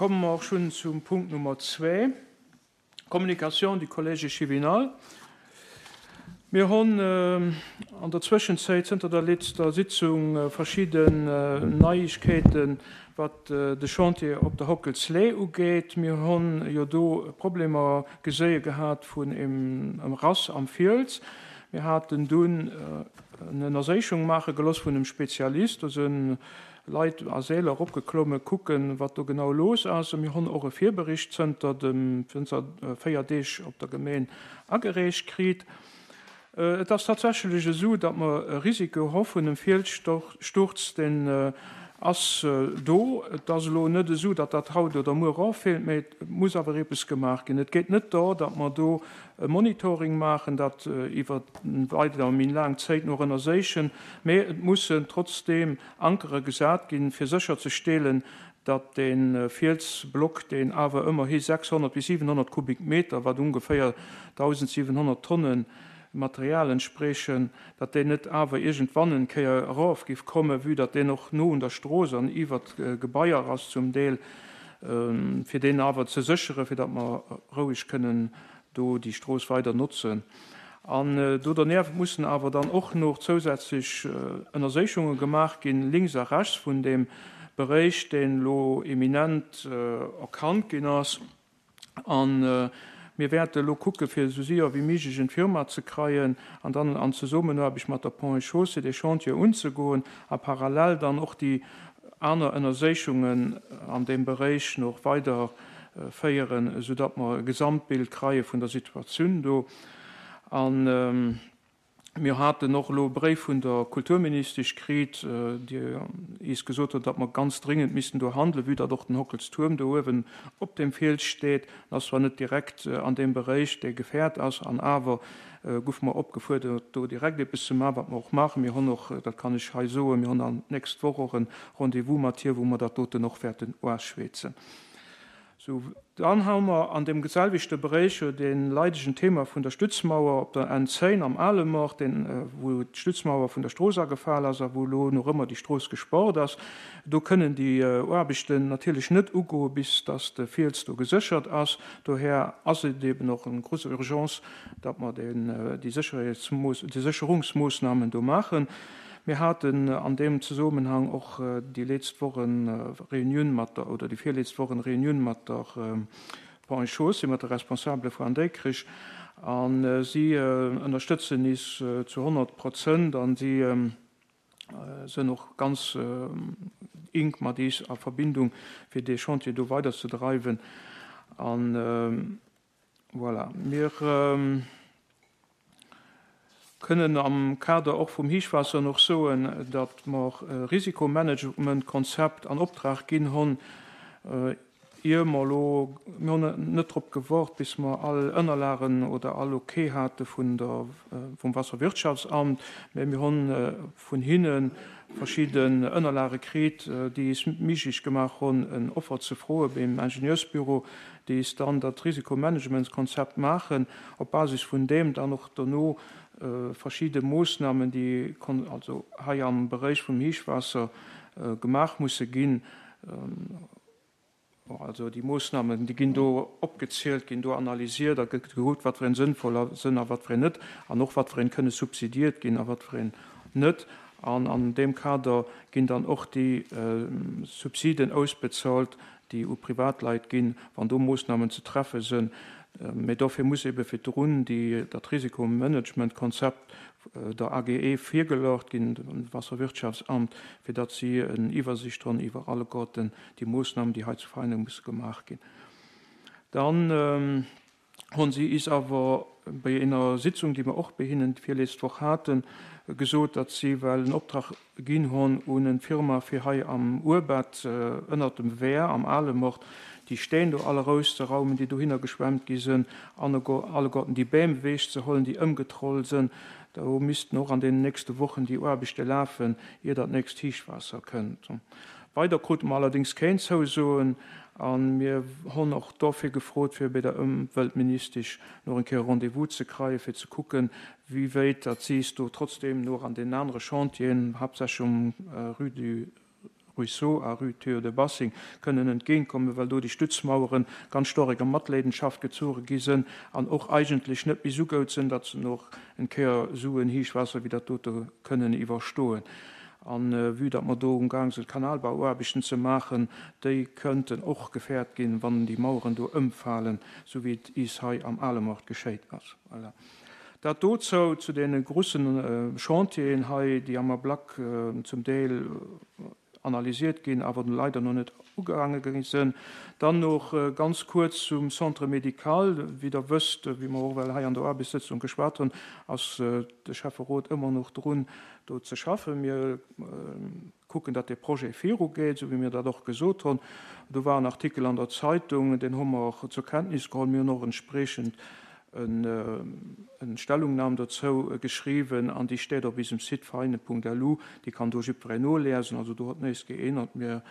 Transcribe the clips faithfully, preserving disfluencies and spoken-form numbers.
Komme mer och schonn zum Punkt Nummer zwee, Communication du Collège échevinal. Mir hunn an der Zwëschenzäit, zënter der letzter Sitzung, verschidden Neiegkeeten, wat de Chantier op der Hockelslee ugeet. Mir hunn jo do Problemer geséie gehat vun em Rass am Fiels. Mir haten dunn en Ënnerséichung maache geloss vun em Spezialist. Do sinn Leit a Seeler eropgeklomme kucken, wat do genau los ass. A mir hunn och e Virbericht zënter dem, zënter véier Deeg op der Gemeen agereecht kritt. Et ass tatsächlech esou, datt mer e Risiko hu vun em Fielssturz, deen ass do. Et ass elo net esou, datt dat haut oder muer erofheelt, mä et muss awer eppes gemaach ginn. Et geet net dor, datt mer do e Monitoring maachen, dat iwwer weider méi laang Zéit no ënnerséichen, mä et mussen trotzdeem Ankere gesat ginn, fir sécherzestellen, datt dee Fielsblock, deen awer ëmmerhi sechshonnert bis siwenhonnert Kubikmeter, wat ongeféier dausendsiwenhonnert Tonne Material entsprechen, datt deen net awer iergendwann en Kéier erof giff kommen, vue datt deen och no un der Strooss an iwwert Gebaier ass zum Deel, fir deen awer ze sécheren, fir datt mer roueg kënnen do déi Strooss weider notzen. An do dernieft mussen awer dann och nach zousätzlech Ënnerséichunge gemaach ginn, links a rechts vun deem Beréich, deen elo eminent erkannt ginn ass. A mir wäerte elo kucke fir esou séier wéi méiglech en Firma ze kreien an dann an Zesummenaarbecht mat der Ponts et Chaussées dee Chantier unzegoen a parallel dann och déi aner Ënnerséichungen an deem Beréich nach weider féieren, esoudatt mer e Gesamtbild kreie vun der Situatioun do. A mir haten och elo e Bréif vun der Kulturministesch kritt, déi eis gesot huet, datt mer ganz dringend missten do handelen, vue datt och den Hockelstuerm do uewen op deem Fiels steet. En ass zwar net direkt an deem Beréich, dee gefährt ass, an awer goufe mer opgefuerdert, do direkt eppes ze maachen, wat mer och maachen. Mir hunn och, dat kann ech hei soen, mir hunn dann d'nächst Woch och e Rendez-vous mat hir, wou mer dat doten och wäerten uaschwätzen. Sou, dann hu mer an deem selwechte Beréich jo dee leidegen Thema vun der Stützmauer op der N zéng am Alemort, deen, wou d'Stützmauer vun der Strooss agefal ass a wou elo nach ëmmer déi Strooss gesport ass. Do kënnen déi Aarbechten natierlech net ugoe bis dass de Fiels do geséchert ass. Dohär ass et eben och eng grosse Urgence, datt mer deen, déi Sécherheetsmoos, déi Sécherungsmoossnamen do maachen. Mir haten an deem Zusammenhang och déi letzt Woch en Reunioun mat der, oder déi virletzt Woch en Reunioun mat der Ponts et Chaussées, mat de Responsabele vu Déikrich, a si ënnerstëtzen is zu honnert Prozent an si sënn och ganz enk mat is a Verbindung, fir dee Chantier do weiderzedreiwen. An voilà, mir kënnen am Kader och vum Héichwaasser noch soen, datt mer e Risikomanagementkonzept an Optrag ginn hunn, ier mer elo, mir hunn net drop gewart, bis mer all Ënnerlagen oder all Ok hate vun der, vum Wasserwirtschaftsamt, mä mir hunn vun hinne verschidden Ënnerlage kritt, déi es méiglech gemaach hunn, en Offer ze froe beim Ingenieursbüro, déi es dann dat Risikomanagementskonzept maachen, op Basis vun deem dann och dono verschidde Moossnamen, déi also hei am Beréich vum Héichwaasser gemaach musse ginn, also déi Moossnamen, déi ginn do opgezielt, ginn do analysiert a gëtt gekuckt, wat fir een sënnvoll sënn a wat fir een net, an och wat fir een kënne subsidiert ginn a wat fir een net. An an deem Kader ginn dann och déi Subsiden ausbezahlt, déi u Privatleit ginn, wann do Moossnamen ze treffe sënn. Mee dofir muss ebe virdrun déi, dat Risikomanagementkonzept der A G E virgeluecht ginn, dem Wasserwirtschaftsamt, fir datt si en Iwwersicht hunn iwwer alleguerten déi Moossnamen, déi hei zu Veinen musse gemaach ginn. Dann hunn si is awer bei enger Sitzung, déi mer och bei hinnen d'virletzte Woch haten, gesot, datt si well en Optrag ginn hunn un en Firma, fir hei am Urbett ënnert dem Wehr am Alemort déi Steen do all erauszeraumen, déi dohinner geschwemmt gi sinn, alleguerten déi Bäm ewech ze huelen, déi ëmgetrollt sinn. Do missten och an den nächste Wochen déi Aarbechte lafen, ier dat nächst Héichwaasser kënnt. Weider krute mer allerdéngs keen Zousoen a mir hunn och dofir gefrot, fir bei der Ëmweltministesch nach eng Kéier Rendez-vous ze kreien, fir ze kucken, wéi wéit dat si do trotzdeem nach an den anere Chantieren, haaptsächlech um Rue du Ruisseau a Rue Théo de Bassing kënnen entgéintkommen, well do déi Stützmauere ganz storeg a Matleedenschaft gezuche gi sinn an och eigentlech net méi esou goud sinn, datt se och en Kéier esou en Héichwaasser wéi dat dote kënnen iwwerstoen. An vue datt mer do umgaang sinn, Kanalbauaarbechten ze maachen, déi kënnten och gefährt ginn, wann déi Maueren do ëmfalen, esou wéi et is hei am Alemort geschéit ass. Voilà. Dat dozou, zu deene grussen Chantieren hei, déi am Ablack zum Deel analysiert ginn, awer leider no net ugaange gi sinn. Dann noch ganz kuerz zum Centre médical. Wéi Der wësst, wéi mer och well hei an der Aarbechtssëtzung geschwat hunn, ass de Schäfferot ëmmer noch drun, do ze schaffen. Mir kucken, datt dee Projet virugeet, esou wéi mir dat och gesot hunn. Do war en Artikel an der Zeitung, deen hu mer och zur Kenntnis geholl. Mir hunn och entspriechend eng Stellungnahme dozou geschriwwen an déi steet op eisem Site vereine Punkt L U. Déi kann do jiddwereen noliesen. Also do huet näischt geännert. Mir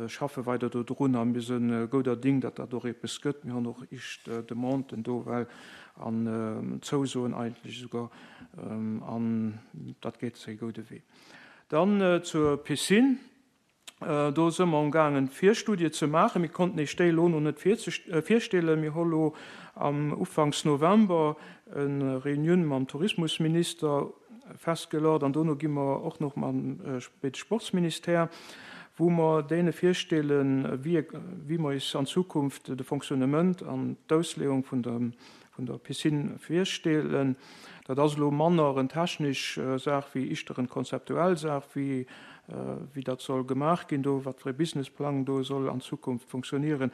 schaffe weider do drun a mir si gouder Ding, datt dat och eppes gëtt. Mir hunn och éischt Demanden do well an Zousoen eigentlech esouguer, an dat geet séi goude Wee. Dann zur Piscine. Do si mer umgaangen, Virstudie ze maachen. Mir konnten eech déi elo no net virstellen. Mir hu lo am Ufanks November eng Reunioun mam Tourismusminister festgeluecht an dono gi mer och nach mam Sportsministère, wou mer deene virstellen, wéi wéi mer eis an Zukunft de Fonctionnement an d'Ausleeung vun der vun der Piscine virstellen. Dat ass elo manner eng technesch Saach wéi éischter eng konzeptuell Saach, wéi wéi dat soll gemaach ginn do, wat fir e Businessplang do soll an Zukunft funktionieren.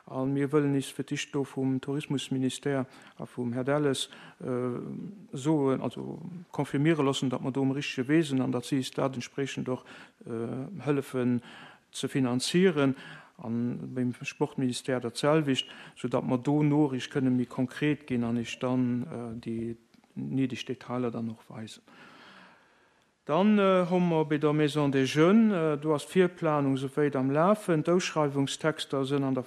A mir wëllen eis fir d'éischt do vum Tourismusministère a vum Här Delles soen, also confirmiere loossen, datt mer do um richtege Wee sinn an datt si eis dat entspriechend och hëllefen ze finanzieren, an beim Sportministère dat selwecht, soudatt mer do no eréischt kënne méi konkret ginn an eech dann déi néideg Detailer dann och weisen. Dann hu mer bei der Maison des Jeunes, do ass d'Virplanung souwäit am Lafen, d'Ausschreiwungstexter sinn an der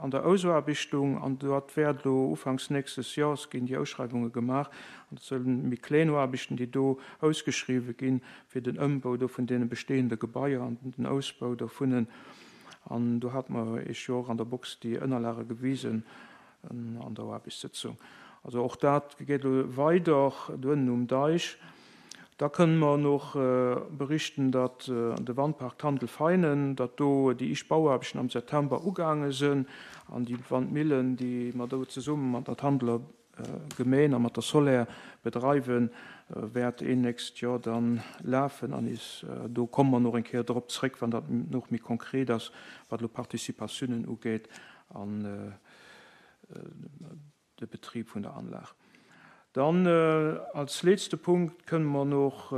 an der Ausaarbechtung an dat wäert elo ufanks nächstes Jahres ginn déi Ausschreiwunge gemaach an dat sinn méi kleng Aarbechten, déi do ausgeschriwwe ginn fir den Ëmbau do vun deene bestehende Gebaier an den Ausbau dovun. An do hat mer eech jo och an der Box déi Ënnerlage gewisen an der Aarbechtssëtzung. Also och dat geet elo weider do ënnen um Deich. Da kënne mer nach berichten, datt de Wandpark Tandel-Feinen, datt do déi éischt Bauaarbechten am September ugaange sinn an déi Wandmillen, déi mer do zesumme mat der Tandeler Gemeen a mat der Soler bedreiwen, wäert een nächst Joer dann lafen an is do komme mer nach eng Kéier drop zréck, wann dat nach méi konkret ass, wat elo Participatiounen ugeet an de Betrib vun der Anlag. Dann als letzte Punkt kënne mer nach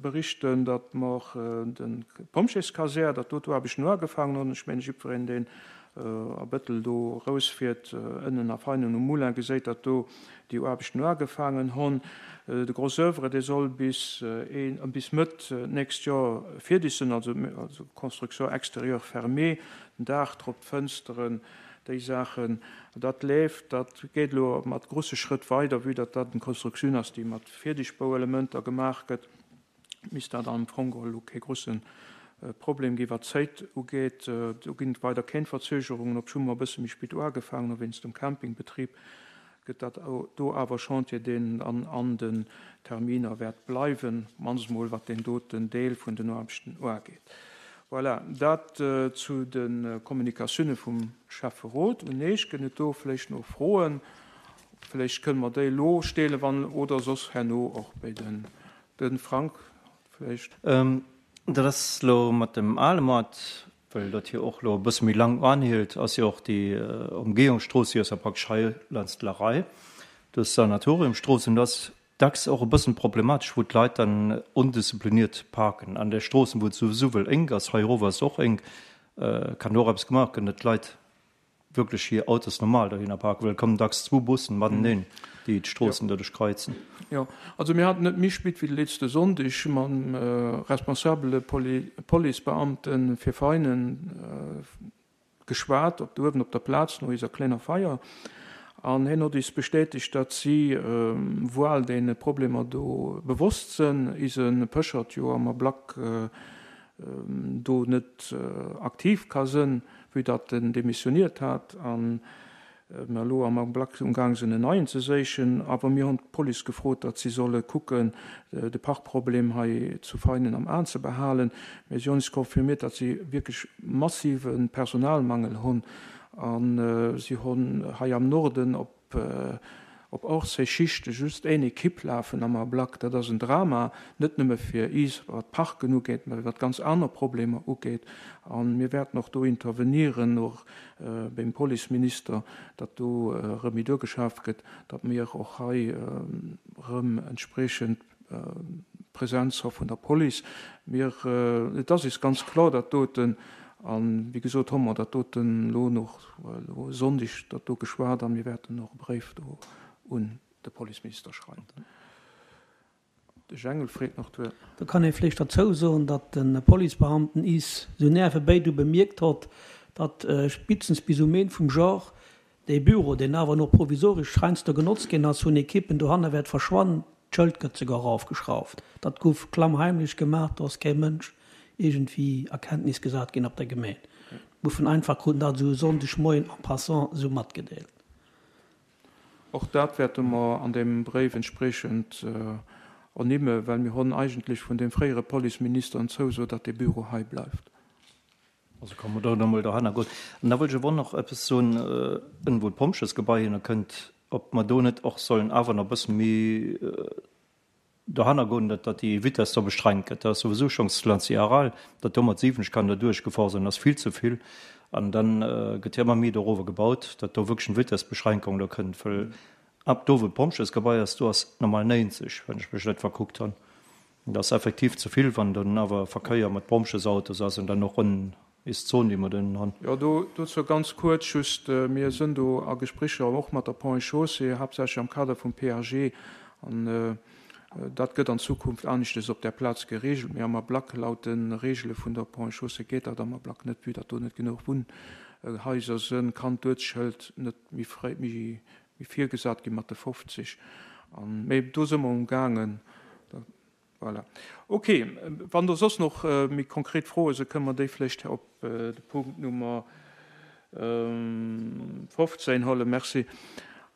berichten, datt mer de Pompjeeskasär, datt do d'Aarbechten ugefaangen hunn. Ech mengen, jiddwereen, deen a Bëttel do rausfiert, ënnen a Feinen um Moulin, geséit, datt do déi Aarbechten ugefaangen hunn. De Gros œuvre, dee soll bis een bis Mëtt nächst Joer fierdeg sinn, also also Construction extérieure fermée, den Daach drop, d'Fënsteren, déi Saachen. Dat leeft, dat geet elo mat grousse Schrëtt weider, vue datt dat eng Konstruktioun ass, déi mat Fierdegbauelementer gemaach gëtt, misst dat am Fong geholl elo kee grousse Problem gi wat d'Zäit ugeet. Do ginn et weider keng Verzögerungen, obschonn mer e bësse méi spéit ugefaangen hu wéinst dem Campingbetrib, gëtt dat do awer Chantier, deen an an den Terminer wäert bleiwen, mannst mol wat deen doten Deel vun den Aarbechten ugeet. Voilà, dat zu de Kommunikatioune vum Schäfferot. Un eech gëtt et do vläicht nach Froen? Vläicht kënne mer déi elo stellen, wann oder soss herno och bei den de Frank vläicht. Dat ass elo mat dem Alemort, well dat hier och elo e bësse méi laang anhielt, ass jo och déi Umgehungsstrooss, déi ass ja praktesch hei laanscht d'Larei, do ass d'Sanatoriumstrooss, an do ass dacks och e bëssen problematesch, wou d'Leit dann ondiszipliniert parken an der Stroossen, wou et souwisou well enk ass. Hei erof ass et och enk. Kann do och eppes gemaach ginn, datt d'Leit wierklech hir Autos normal dohinner parken, well et kommen dacks zwou Bussen mateneen, déi d'Stroossen doduerch kreuzen. Jo, also mir haten net méi spit wéi de letzte Sonndeg mam responsabele Policebeamte fir Veinen geschwat, op do uewen op der Plaz no eiser klenger Feier. An hien huet eis bestätegt, datt si wuel deene Problemer do bewosst sinn. Eise Pëschert jo am Ablack do net aktiv ka sënn, vue datt en demissioniert hat an mer elo am Ablack umgaang sinn en neien ze séichen. Awer mir hunn d'Police gefrot, datt si solle kucken, de Parkproblem hei zu Veinen am Aen ze behalen. Mä si hunn eis confirmiert, datt si wierklech massive Personalmangel hunn a si hunn hei am Norden op op Ortsee Schichte just een Ekipp lafen am Ablack. Dat ass en Drama, net nëmme fir is, wat d'Parken ugeet, mä wat ganz aner Problemer ugeet. A mir wäerten och do intervenieren, och beim Policeminister, datt do erëm méi duergeschaaft gëtt, datt mir och hei erëm entspriechend Präsenz hu vun der Police. Mir, et ass is ganz kloer, dat doten, a wéi gesot hu mer dat doten elo nach elo e Sonndeg dat do geschwat a mir wäerten och e Bréif do un de Policeminister schreiwen. De Jengel freet nach d'Wuert. Do kann ee vläicht derzou soen, datt de Policebeamten is sou nervebéi du bemierkt hott, datt spitstens bis um Een vum Genre dee Büro, deen awer nach provisoresch heiansdo genotzt ginn ass, vun Ekippen dohanne wäert verschwannen. D'Schëld gëtt souguer erafgeschrauft. Dat gouf klammheimlech gemaach, do ass kee Mënsch iergendwéi a Kenntnis gesat ginn op der Gemeen. D'Muffen einfach kruten dat esou e Sonndegmoien en passant esou matgedeelt. Och dat wäerte mer an deem Bréif entspriechend ernimmen, well mir hunn eigentlech vun deem fréiere Policeminister en Zouso, datt dee Büro hei bleift. Also komme mer do nach emol dohanner goen. An da wëllt ech awer och nach eppes soen, ënnen, wou d'Pompjesgebai hinner kënnt, ob mer do net och sollen awer nach e bësse méi dohanner goen, datt datt déi Vitess do bestrengt gëtt. Dat ass souwisou schonns Lanzi-Aral, datt do mat siwwenzeg kann der duerchgefor sinn, ass vill ze vill. An dann gëtt jo ëmmer méi dorower gebaut, datt do wierklech eng Vitessbeschränkung do kënnt, well ab do, wou d'Pompjeesgebai ass, do ass normal néinzeg, wann ech mech net verkuckt hunn. Dat ass effektiv ze vill, wann dann awer Verkéier mat Pompjeesautos ass an dann och ronn is d'Zon, déi mer dann hunn. Jo, do, dozou ganz kuerz just, Mir sënn do a Gesprécher och mat der Ponts et Chaussées, haaptsächlech am Kader vum P A G an dat gëtt an Zukunft aneschtes op där Plaz geregelt. Mee am Ablack, laut de Regele vun der Ponts et Chaussées, geet dat am Ablack net, vue datt do net genuch Wunnhaiser sënn, kann d'Uertsschëld net méi fréi, méi virgesat gi mat de fofzeg. Mee do së mer umgaangen. Voilà. Ok, wann do soss noch méi konkret Froe sinn, kënnen mer déi vläicht op de Punkt Nummer fofzéin huelen. Merci.